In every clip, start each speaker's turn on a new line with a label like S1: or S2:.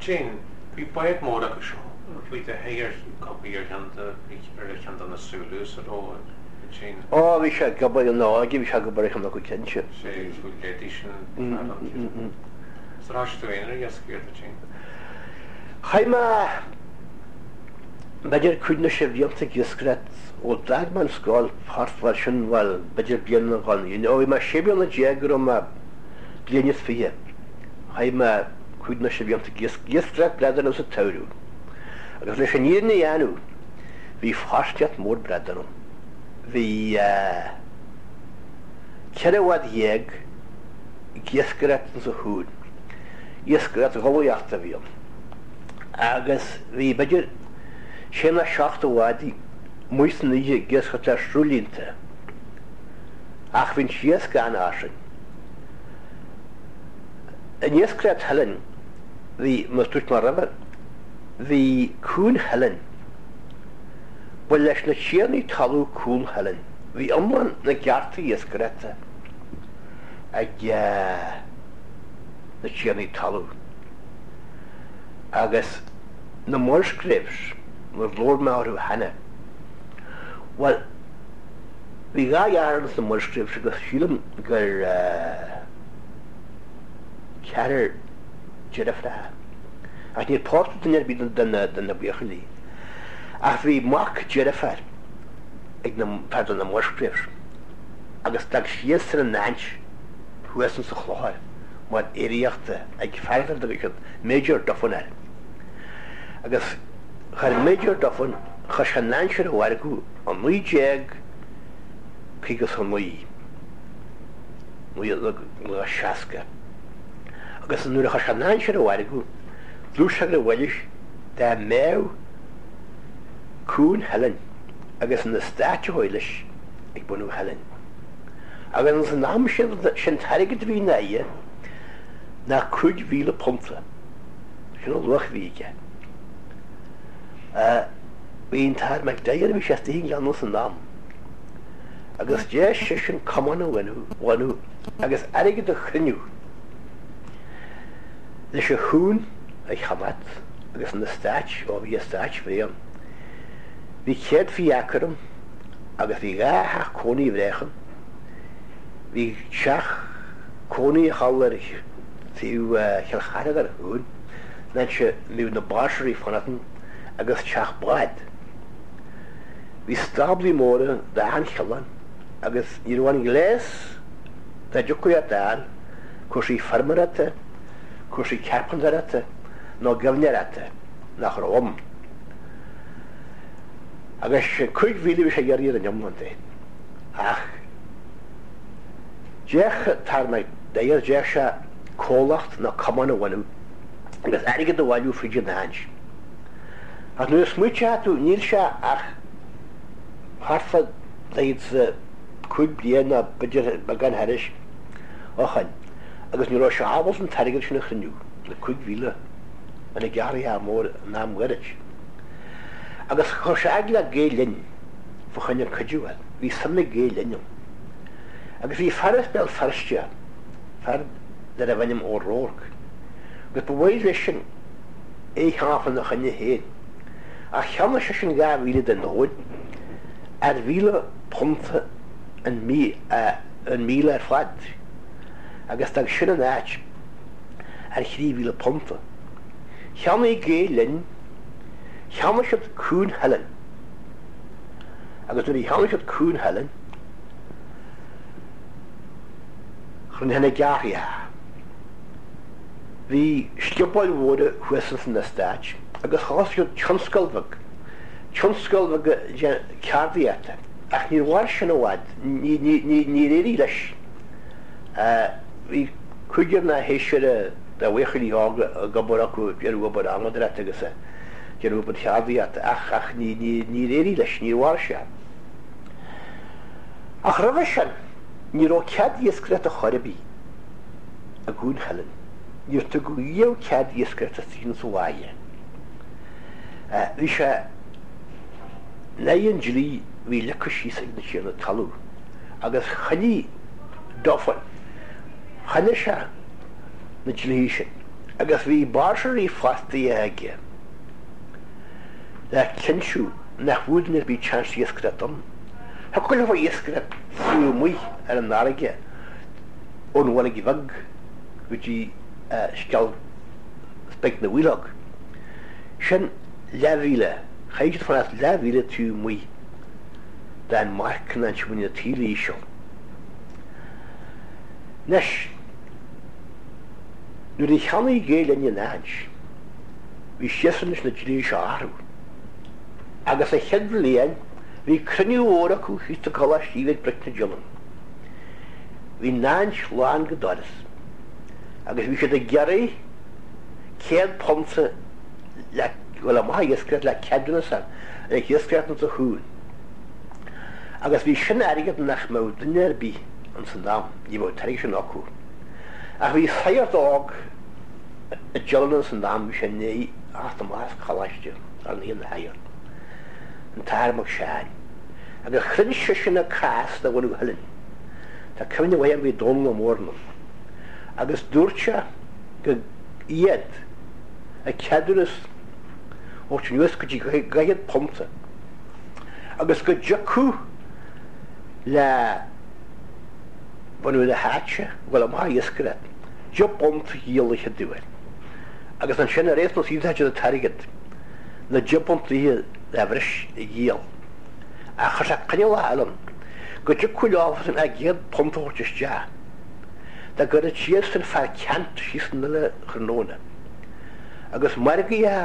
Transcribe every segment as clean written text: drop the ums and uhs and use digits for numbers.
S1: Ansin, bhí bád mór acu seo, bhí de shaothar copaí ar cheann de, ar cheann de na Zulus a raibh ansin.
S2: Ó, bhí sé ag obair ina óige, bhí sé ag obair ar cheann acu cinnte.
S1: Sé, bhí leidí sin fear an Is ar thoisigh tú féin ar iascaireacht ansin?
S2: Chaith mé b'fhéidir cúig nó sé bhlianta ag iascaireacht ó d'fhág mé an scoil thart fá sin, bhuel, b'fhéidir bliain nó dhó, ó bhí mé sé bliana déag go raibh mé bliain is fiche. Chaith mé cúig nó sé bhlianta ag iascaireacht bradán sa tsamhradh. Agus leis an fhírinne a dhéanamh, bhí fostaíocht mhór bradán ann. Bhí 14 bhád ag iascaireacht insa chuan. Iascaireacht gholaíochta a bhí ann. Agus bhí b'fhéidir sé nó seacht de bhádaí amuigh san oíche ag iascaireacht le sruthlínte. Ach bhí an t-iasc an-fhairsing. In iascaireacht Theilinn, bhí, mar a dúirt mé roimhe, bhí Cuan Theilinn, ba leis na tiarnaí talún Cuan Theilinn, bhí iomlán na gcearta iascaireachta ag na tiarnaí talún. Agus na Musgraves, mar labhair mé orthu cheana, bhuel, bhí dhá dheartháir ins na Musgraves agus sílim gur ceathrar deirfiúracha. Ach níor pósadh duine ar bith de na buachaillí. Ach bhí mac deirféar ag na, fear de na Musgraves agus d'fhág siadsan an áit thuas insa Chlochar mar aeraíochta ag fear a dtugadh siad Major Duffin air. Agus chuir Major Duffin, chuir sé an áit ar an mhargadh i 1959. 1960. Agus nuair a chuir sé an áit ar an mhargadh, dúirt sé gur mhaith leis dá mbeadh Cuan Theilinn agus an eastát a chuaigh leis ag bunadh Theilinn. Agus ins an am sin, sin t-airgead a bhí ina aghaidh ná £5,000. Sin an luach a bhí aige. Bhí an tAthair McDyer, bhí sé istigh i nGleann ins an am. Agus deir seisean cumann a bhunú agus airgead a chruinniú leis an chuan a cheannacht agus an eastát, ó bhí eastát bhreá ann. Bhí 120 acre ann agus bhí dhá theach cónaí bhreách ann. Bhí teach cónaí thall ar taobh Chill Chartha den chuan, an áit a mbíodh na báirseoirí ag fanacht ann, agus teach bád. Bhí stáblaí móra d'achan chineál ann agus ní raibh aon ghléas dá dtiocfadh leat a fháil, cúrsaí feirmeoireachta, cúrsaí cearpantóireachta nó gaibhneoireachta, nach raibh ann. Agus 5,000 a bhí sé a iarraidh ar an iomlán de. Ach d'fhéach an tAthair McDyer, d'fhéach sé comhlacht nó cumann a bhunú agus airgead a bhailiú fríd an áit. Ach nuair a smaoiteoidh tú, níl sé ach thart fá 45 bliain nó b'fhéidir beagán thairis ó shoin agus ní raibh sé ábalta an t-airgead sin a chruinniú, na 5,000 ina gearraithe mór in am ghairid. Agus chuir sé fhad le Gael Linn fá choinne cuidiú air. Bhí suim ag Gael Linn ann. Agus bhí fear as Béal Feirste, fear darbh ainm O'Rourke, agus ba mhaith leisean é a cheannach lena choinne féin. Ach cheannaigh seisean 2,000 den thóin ar £1,000 an an míle ar fad agus d'fhág sin an áit ar £3,000. Cheannaigh Gael Linn, cheannaigh siad Cuan Theilinn agus nuair a cheannaigh siad Cuan Theilinn, rinne na gearrthaí. Bhí sciobóil mhóra thuas ins an eastát agus thosaigh siad tionscal bheag, tionscal bheag ceardaíochta, ach níor mhair sin i bhfad, níor éirigh leis. Bhí cúigear nó seisear de bhuachaillí óga ag obair acu, ag déanamh obair adhmadóireachta agus ag déanamh obair cheardaíochta ach ach níor éirigh leis, níor mhair sé. Ach roimhe sin, ní raibh cead iascaireachta chor ar bith. i gCuan Theilinn. Níor tugadh riamh cead iascaireachta istigh insa bhaile. Bhí sé in aghaidh an dlí a bhí leagtha síos ag na tiarnaí talún agus choinnigh Duffin, choinnigh sé na dlíthe sin. Agus bhí báirseoirí fostaithe aige le cinntiú nach bhfuair duine ar bith chance iascaireacht ann. Thiocfadh leofa iascaireacht taobh amuigh ar an fharraige ón Bhuirg Bheag go dtí Sceilg Speic na bhFaoileog. Sin leathmhíle, chaithfeadh siad fanacht leathmhíle taobh amuigh den marcanna ansin bhí na taoille íseal. Anois, nuair a cheannaigh Gael Linn an áit, bhí siadsan leis na dlíthe seo a athrú. Agus sa chéad bhliain, bhí cruinniú mhór acu thíos sa gColáiste ag Bric na Diolann. Bhí an áit lán go doras agus bhí siad ag iarraidh £100 le dhul amach ag iascaireacht le ceadúnas a fháil ag iascaireacht insa chuan. Agus bhí sin airgead nach mbeadh duine ar bith ins an am, ní bheadh an t-airgead sin acu. Ach bhí sagart óg i dTeileann ins an am, bhí sé i ndiaidh theacht amach as coláiste, ar ndóigh ina shagart, an tAthair Mac Seáin. Agus chruinn seisean a cás do bhunadh Theilinn. Tá cuimhne mhaith agam bhí Dónall Ó Mórna ann. Agus dúirt sé go iad a ceadúnas a thabhairt anuas go dtí dhaichead punta agus go dtiocfadh le bunadh na háite dhul amach ag iascaireacht deich bpunt a dhíol an chéad uair agus ansin ar aon nós íosfaidh siad an t-airgead na deich bpunt de bhreis a dhíol ach chuir sé coinníollacha eile ann go dtiocfadh leofasan a gcéad punt a thabhairt isteach dá gcuirfeadh siadsan fear ceant síos san uile thráthnóna agus margaí a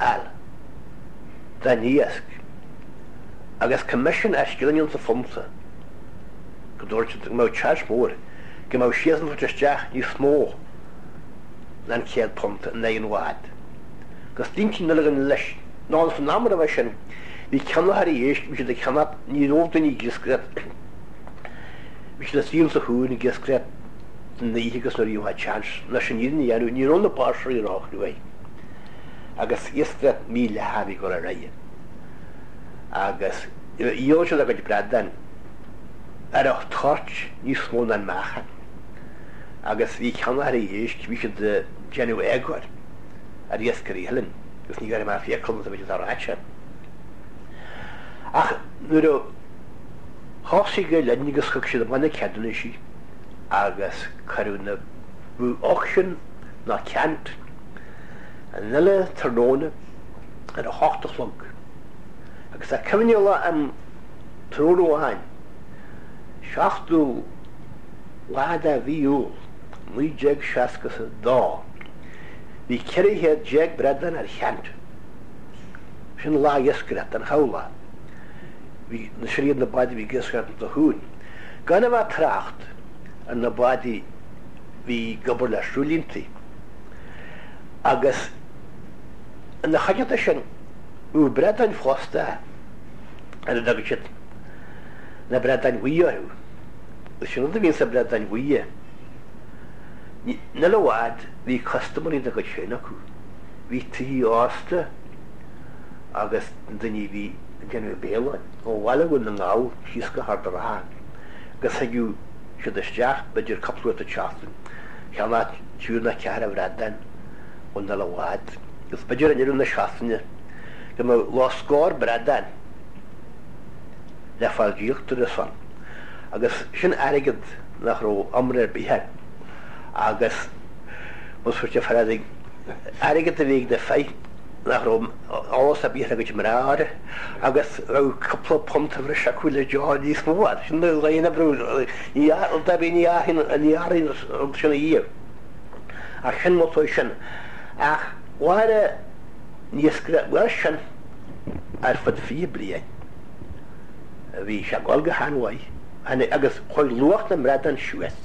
S2: fháil dá n-iasc agus coimisiún ar scilling an sa phunta go dúirt siad go mbeadh chance mór go mbeadh siadsan ag tabhairt isteach níos mó ná an £100 in aghaidh an bhád. Agus d'aontaigh an uile dhuine leis. Nó san am roimhe sin bhí ceannaitheoirí éisc, bhí siad ag ceannach, ní raibh daoine ag iascaireacht, bhí siad istigh insa chuan ag iascaireacht san oíche agus nuair a bhí chance, nó sin iad a dhéanamh, ní raibh na báirseoirí róchruaidh agus iascaireacht mídhleathach a bhí ag dul ar aghaidh agus dhíol siad a gcuid bradán ar an toirt níos mó ná an meáchan agus bhí ceannaitheoirí éisc, bhí siad ag déanamh éagóir ar iascairí Theilinn agus ní ghearrfaidh mé fiacail iontu bhí siad ráite. Ach nuair a thosaigh Gael Linn agus thug siad amach na ceadúnaisí agus cuireadh na bhí auction ná ceant an uile tráthnóna ar a hocht a chlog agus tá cuimhne lá a'm tráthnóna amháin, 7ú lá de mhí Iúil 1962, bhí 1400 bradán ar cheant. Sin lá iascaireachta, an chabhlach. Bhí, sin iad na báid a bhí ag iascaireacht insa chuan. Gan a bheith ag trácht ar na báid a bhí ag obair le sruthlíontaí. Agus ina chuideachta sin, bhí bradáin fosta ar a dtugadh siad na bradáin bhuí orthu. Agus sin rud a bhíonn sna bradáin bhuí. Níl i bhfad, bhí custaiméirí dá gcuid féin acu. Bhí tithe ósta agus na daoine a bhí ag déanamh béile ó bhaile Dhún na nGall síos go hArd an Rátha agus thigeadh siad isteach b'fhéidir cúpla uair sa tseachtain, cheannach triúr nó ceathrar bhradán ón uile bhád agus b'fhéidir i ndeireadh na seachtaine go mbeadh lá scór bradán le fáil díolta ansan agus sin airgead nach raibh iomrá ar bith air agus más fuair sé airgead a bhí ag na fir nach raibh eolas ar bith ar a gcuid mná air agus raibh cúpla punt a bhris acu le deoch níos mó air. Sin na dhaoine a brú ní rud ar bith ní athraíonn an rud sin a dhíobh. Ach sin motó sin. Ach mhair an iascaireacht mhair sin ar fud 20 bliain. Bhí sé ag dul go han-mhaith agus chuaigh luach na mbradán suas.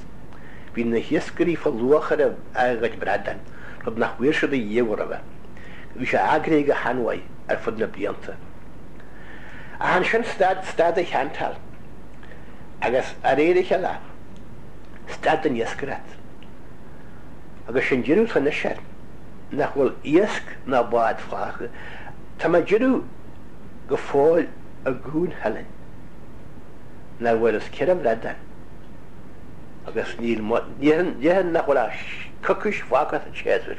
S2: Bhí na hiascairí fáil luach ar a gcuid bradán, rud nach bhfuair siad ariamh roimhe. Bhí sé eagraithe go han-mhaith ar fud na blianta. Ach ansin stad, stad an cheantáil agus de réir a chéile stad an iascaireacht. Agus sin deireadh atá anois air, nach bhfuil iasc ná bád fágtha. Tá mé ag déanamh go fóill i gCuan Theilinn nach bhfuarthas 4 bhradán agus níl, déarfainn nach bhfuil ach coicís fágtha sa tséasúr.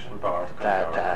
S1: Sin beart go leor.